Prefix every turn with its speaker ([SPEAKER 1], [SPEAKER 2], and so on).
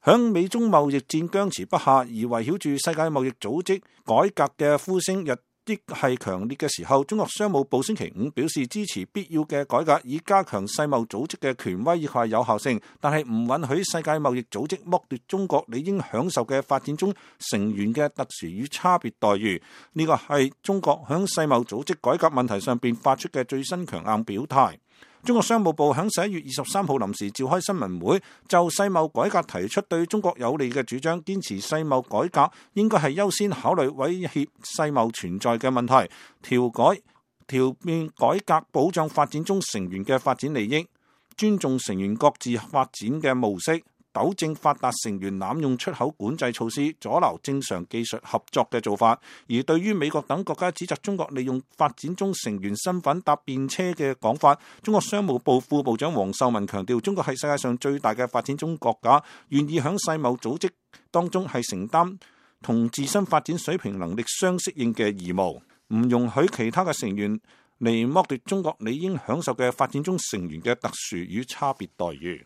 [SPEAKER 1] 響美中貿易戰僵持不下，而圍繞住世界貿易組織改革嘅呼聲日益係強烈嘅時候，中國商務部星期五表示支持必要嘅改革，以加強世貿組織嘅權威以及有效性，但係唔允許世界貿易組織剝奪中國理應享受嘅發展中成員嘅特殊與差別待遇。呢個係中國響世貿組織改革問題上邊發出嘅最新強硬表態。中國商務部喺11月23號臨時召開新聞會，就世貿改革提出對中國有利嘅主張，堅持世貿改革應該係優先考慮威脅世貿存在嘅問題，調變改革保障發展中成員嘅發展利益，尊重成員各自發展嘅模式，糾正發達成員濫用出口管制措施，阻撓正常技術合作嘅做法。而對於美國等國家指責中國利用發展中成員身份搭便車嘅講法，中國商務部副部長王受文強調，中國係世界上最大嘅發展中國家，願意響世貿組織當中係承擔同自身發展水平能力相適應嘅義務，唔容許其他嘅成員嚟剝奪中國理應享受嘅發展中成員嘅特殊與差別待遇。